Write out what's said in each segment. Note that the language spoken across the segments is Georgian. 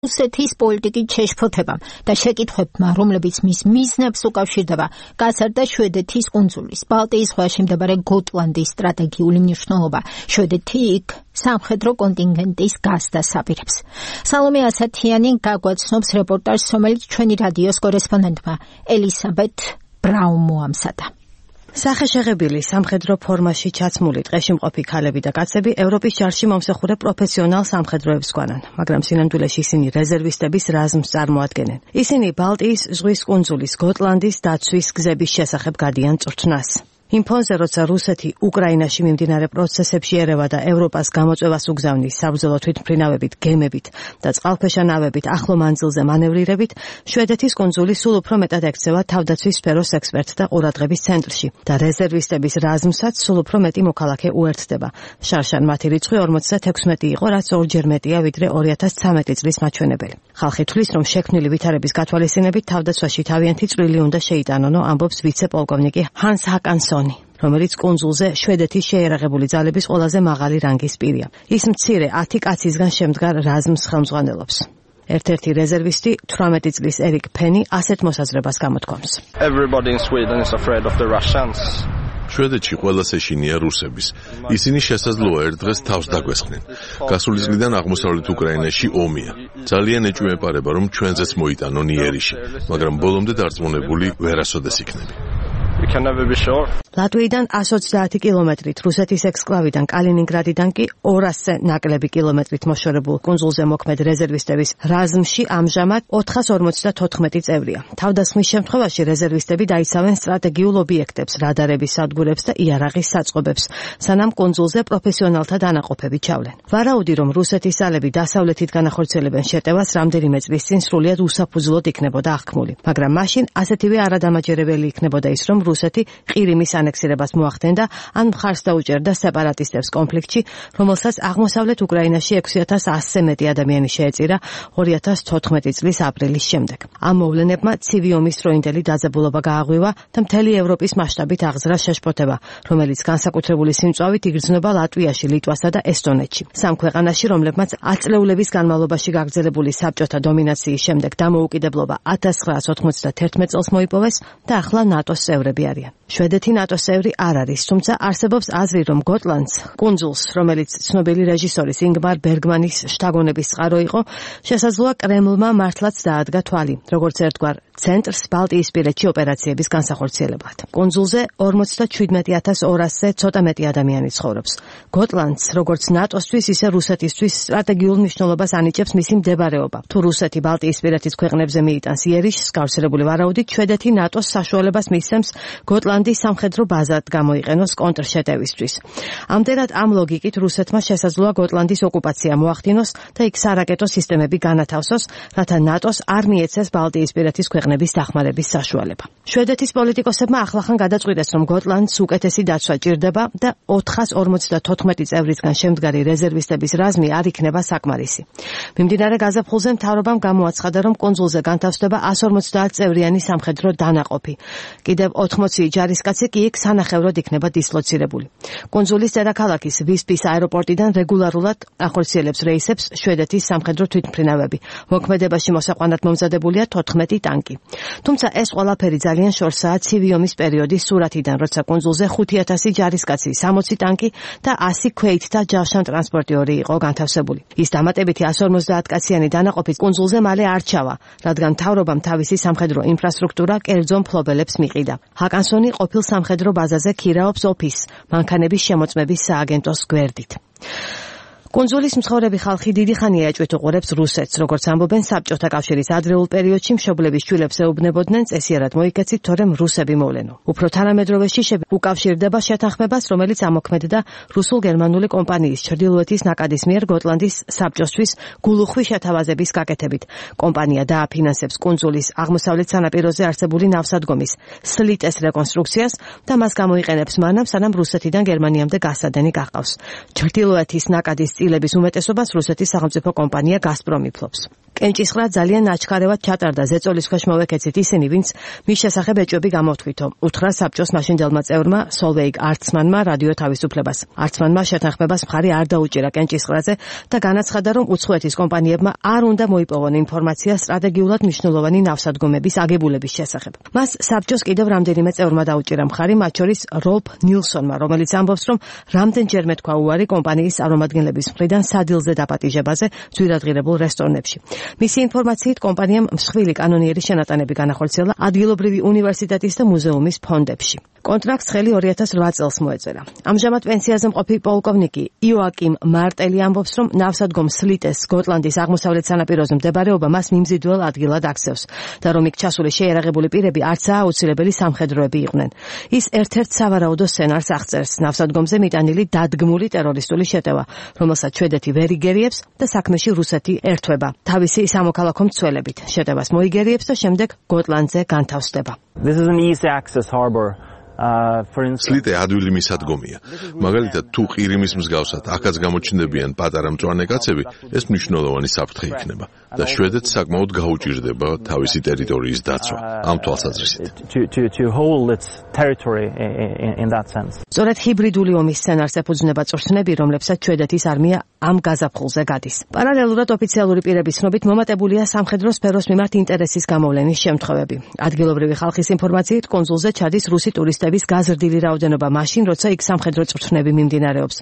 რუსეთის პოლიტიკის შეშფოთებამ და შეკითხვებმა, რომლებიც მის მიზნებს უკავშირდება, გაზარდა შვედეთის კუნძულის, ბალტიის ზღვაში მდებარე გოტლანდის სტრატეგიული მნიშვნელობა. შვედეთი იქ სამხედრო კონტინგენტის გასდას აპირებს. სალომე ასათიანი გაგვაცნობს რეპორტაჟს, რომელიც ჩვენი რადიოს კორესპონდენტმა ელისაბეთ ბრაუნმა ამსადა. სახეშეღებილი სამხედრო ფორმაში ჩაცმული ტყეში მყოფი ქალები და კაცები ევროპის ჯარში მომსახურე პროფესიონალ სამხედროებს გვანან, მაგრამ სინამდვილეში ისინი რეზერვისტების რაზმს წარმოადგენენ. ისინი ბალტიის ზღვის კუნძულის გოტლანდის დაცვის გზების შესახებ გადიან წვრთნას. იმ ფონზე, როცა რუსეთი უკრაინაში მიმდინარე პროცესებში ერევა და ევროპას გამოწვევას უგზავნის საბრძოლო თვითმფრინავებით, გემებით და წყალქვეშა ნავებით ახლო მანძილზე მანევრირებით, შვედეთის კუნძული სულ უფრო მეტად ექცევა თავდაცვის სფეროს ექსპერტთა ყურადღების ცენტრში და რეზერვისტების რაზმსაც სულ უფრო მეტი მოქალაქე უერთდება. შარშან მათი რიცხვი 56 იყო, რაც ორჯერ მეტია ვიდრე 2013 წლის მაჩვენებელი. ხალხი თვლის, რომ შექმნილი ვითარების გათვალისწინებით თავდაცვაში თავიანთი წვლილი უნდა შეიტანონო, ამბობს ვიცე-პოლკოვნიკი ჰანს ჰაკანსონი, რომელიც კუნძულზე შვედეთის შეიარაღებული ძალების ყველაზე მაღალი რანგის პირია. ის მცირე 10 კაცისგან შემდგარ რაზმს ხელმძღვანელობს. ერთ-ერთი რეზერვისტი 18 წლის ერიკ ფენი ასეთ მოსაზრებას გამოთქვამს. შვედეთში ყველას ეშინია რუსების. ისინი შესაძლოა ერთ დღეს თავს დაგვესხნენ. გასული წლიდან აღმოსავლეთ უკრაინაში ომია. ძალიან ეჭვმეპარება, რომ ჩვენზეც მოიტანონ იერიში, მაგრამ ბოლომდე დარწმუნებული ვერასოდეს იქნები. ლატვიიდან 130 კილომეტრით, რუსეთის ექსკლავიდან კალინინგრადიდან კი 200 ნაკლები კილომეტრით მოშორებულ კუნძულზე მოქმედ რეზერვისტების რაზმში ამჟამად 454 წევრია. თავდასხმის შემთხვევაში რეზერვისტები დაიცავენ სტრატეგიულ ობიექტებს, რადარების სადგურებს და იარაღის საწყობებს, სანამ კუნძულზე პროფესიონალთა დანაყოფები ჩავლენ. ვარაუდი, რომ რუსეთის ძალები დასავლეთით განახორციელებენ შეტევას, რამდენიმე წლის წინ სრულიად უსაფუძვლოდ იქნებოდა აღქმული, მაგრამ მაშინ ასეთივე არადამაჯერებელი იქნებოდა ის, რომ რუსეთი ყირიმის ანექსირებას მოახდენდა, ან მხარს დაუჭერდა სეპარატისტებს კონფლიქტში, რომელსაც აღმოსავლეთ უკრაინაში 6100-ზე მეტი ადამიანი შეეწირა 2014 წლის აპრილის შემდეგ. ამ მოვლენებმა ცივი ომის დროინდელი დაძაბულობა გააღვივა და მთელი ევროპის მასშტაბით აღზრა შეშფოთება, რომელიც განსაკუთრებული სიმწვავით იგრძნობა ლატვიაში, ლიტვასა და ესტონეთში. სამ ქვეყანაში, რომლებმაც ათწლეულების განმავლობაში გაგრძელებული საბჭოთა დომინაციის შემდეგ დამოუკიდებლობა 1991 წელს მოიპოვეს და ახლა ნატოს წევრები არიან. შვედეთი ნატოს წევრი არ არის, თუმცა არსებობს აზრი, რომ გოტლანდს, კუნძულს, რომელიც ცნობილი რეჟისორის ინგმარ ბერგმანის შთაგონების წყარო იყო, შესაძლოა კრემლმა მართლაც დაადგა თვალი, როგორც ერთგვარ ცენტრს ბალტიისპირეთში ოპერაციების განსახორციელებლად. კუნძულზე 47200-ზე ცოტა მეტი ადამიანი ცხოვრობს. გოტლანდს, როგორც ნატოსთვის, ისე რუსეთისთვის სტრატეგიულ მნიშვნელობას ანიჭებს მისი მდებარეობა. თუ რუსეთი ბალტიისპირეთის ქვეყნებზე მიიტანს იერიშს, გავრცელებული ვარაუდით, შვედეთი ნატოს საშუალებას მისცემს გოტლანდის სამხედრო ბაზად გამოიყენოს კონტრშეტევისთვის. ამდენად ამ ლოგიკით რუსეთმა შესაძლოა გოტლანდის ოკუპაცია მოახდინოს და იქ სარაკეტო სისტემები განათავსოს, რათა ნატოს არ მიეცეს ბალტიისპირეთის ქვეყნების დახმარების საშუალება. შვედეთის პოლიტიკოსებმა ახლახან გადაწყვიტეს, რომ გოტლანდს უკეთესი დაცვა ჭირდება და 454 წევრისგან შემდგარი რეზერვისტების რაზმი არ იქნება საკმარისი. მიმდინარე გაზაფხულზე მთავრობამ გამოაცხადა, რომ კუნძულზე განთავსდება 150 წევრიანი სამხედრო დანაყოფი. კიდევ 80 ჯარისკაცი კი იქ სანახევროდ იქნება დისლოცირებული. კუნძულის დედაქალაქის ვისპის აეროპორტიდან რეგულარულად ახორციელებს რეისებს შვედეთის სამხედრო თვითმფრინავები. მოქმედებაში მოსაყვანად მომზადებულია 14 ტანკი. თუმცა ეს ყველაფერი ძალიან შორსაა ცივი ომის პერიოდის სურათიდან, როცა კუნძულზე 5000 ჯარისკაცი, 60 ტანკი და 100 ქვეითთა ჯავშან ტრანსპორტიორი იყო განთავსებული. ის დამატებითი 150 კაციანი დანაყოფი კუნძულზე მალე არ ჩავა, რადგან მთავრობამ თავისი სამხედრო ინფრასტრუქტურა კერძო მფლობელებს მიყიდა. ჰაკანსონი ყოფილ სამხედრო ბაზაზე ქირაობს ოფისს, მანქანების შემოწმების სააგენტოს გვერდით. კუნძულის მცხოვრები ხალხი დიდი ხანია ეჭვით უყურებს რუსეთს, როგორც ამბობენ საბჭოთა კავშირის ადრეულ პერიოდში მშობლების შვილებს ეუბნებოდნენ წესიერად მოიქეცით, თორემ რუსები მოვლენო. უფრო თანამედროვეში უკავშირდება შეთანხმებას, რომელიც ამოქმედდა რუსულ-გერმანული კომპანიის ჩრდილოეთის ნაკადის მიერ გოტლანდის საბჭოსთვის გულუხვი შეთავაზების გაკეთებით. კომპანია დააფინანსებს კუნძულის აღმოსავლეთ სანაპიროზე არსებული ნავსადგომის სლიტეს რეკონსტრუქციას და მას გამოიყენებს მანამ, სანამ რუსეთიდან გერმანიამდე გასადენი გაყავს. ჩრდილოეთის ნაკადის წილების უმეტესობას რუსეთის სახელმწიფო კომპანია გაზპრომი ფლობს. კენჭისყრა ძალიან აჩქარევად ჩატარდა ზეწოლის ქვეშ მოვეკეცით ისინი, ვინც მის შესახებ ეჭვები გამოთქვითო. უთხრა საბჭოს მაშინდელმა წევრმა სოლვეიგ არცმანმა რადიო თავისუფლებას. არცმანმა შეთანხმებას მხარი არ დაუჭირა კენჭისყრაზე და განაცხადა, რომ უცხოეთის კომპანიებმა არ უნდა მოიპოვონ ინფორმაცია სტრატეგიულად მნიშვნელოვანი ნავსადგომების აგებულების შესახებ. მას საბჭოს კიდევ რამდენიმე წევრმა დაუჭირა მხარი, მათ შორის როლფ ნილსონმა, რომელიც ამბობს, რომ რამდენჯერმე თქვა უარი კომპანიის წარმომადგენლების მხრიდან სადილზე დაპატიჟებაზე ძვირადღირებულ რესტორნებში. მისი ინფორმაციით კომპანიამ მსხვილი კანონიერი შენატანები განახორციელა ადგილობრივი უნივერსიტეტის და მუზეუმის ფონდებში. კონტრაქტს ხელი 2008 წელს მოეწერა. ამჟამად პენსიაზე მყოფი პოლკოვნიკი იოაკიმ მარტელი ამბობს, რომ ნავსადგომ სლიტეს სკოტლანდის აღმოსავლეთ სანაპიროზე მდებარეობა მას მიმზიდველ ადგილად აქცევს და რომ იქ ჩასული შეიარაღებული პირები არცაა აუცილებელი სამხედროები იყვნენ. ის ერთ-ერთ სავარაუდო სცენარს აღწერს ნავსადგომზე მიტანილი დადგმული ტერორისტული შეტევა, რომელსაც შვედეთი ვერ იგერიებს და საქმეში რუსეთი ერთვება თავისი სამოქალაქო მცველებით. შეტევას მოიგერიებს და შემდეგ გოტლანდზე განთავსდება. This is an easy access harbor. სლიტე ადვილი მისადგომია. მაგალითად, თუ ყირიმის მსგავსად აქაც გამოჩნდებიან პატარა მწვანე კაცები, ეს მნიშვნელოვანი საფრთხე იქნება და შვედეთს საკმაოდ გაუჭირდება თავისი ტერიტორიის დაცვა ამ თვალსაზრისით. სწორედ ჰიბრიდული ომის სცენარს ეფუძნება წვრთნები, რომლებსაც შვედეთის არმია ამ გაზაფხულზე გადის. პარალელურად ოფიციალური პირების ცნობით მომატებულია სამხედრო სფეროს მიმართ ინტერესის გამოვლენის შემთხვევები. ადგილობრივი ხალხის ინფორმაციით, კონსულზე ჩადის რუსი ტურისტების გაზრდილი რაოდენობა მაშინ, როცა იქ სამხედრო წვრთნები მიმდინარეობს.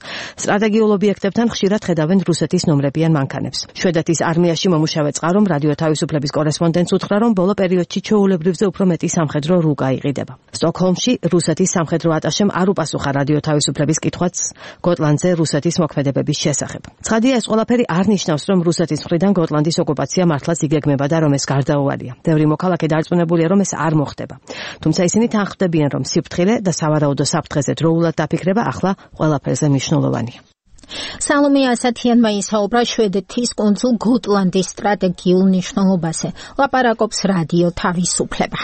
სტრატეგიულ ობიექტებთან ხშირად ხედავენ რუსეთის ნომრებიან მანქანებს. შვედეთის არმიაში მომუშავე წყარომ რადიო თავისუფლების კორესპონდენტს უთხრა, რომ ბოლო პერიოდში ჩვეულებრივზე უფრო მეტი სამხედრო რუკა იყიდება. სტოკჰოლმში რუსეთის სამხედრო ატაშემ არ უპასუხა რადიო თავისუფლების კითხვაც გოტლანდზე რუსეთის მოქმედებების შესახებ. ცხადია, ეს ყველაფერი არ ნიშნავს, რომ რუსეთის მხრიდან გოტლანდის ოკუპაცია მართლაც იგეგმება და რომ ეს გარდაუვალია. ბევრი მოქალაქე დარწმუნებულია, რომ ეს არ მოხდება. თუმცა ისინი თანხმდებიან, რომ სიფრთხილე და სავარაუდო საფრთხეზე დროულად დაფიქრება ახლა ყველაფერზე მნიშვნელოვანია. სალომე ასათიანმა ისაუბრა შვედეთის კუნძულ გოტლანდის სტრატეგიულ მნიშვნელობაზე. ლაპარაკობს რადიო თავისუფლება.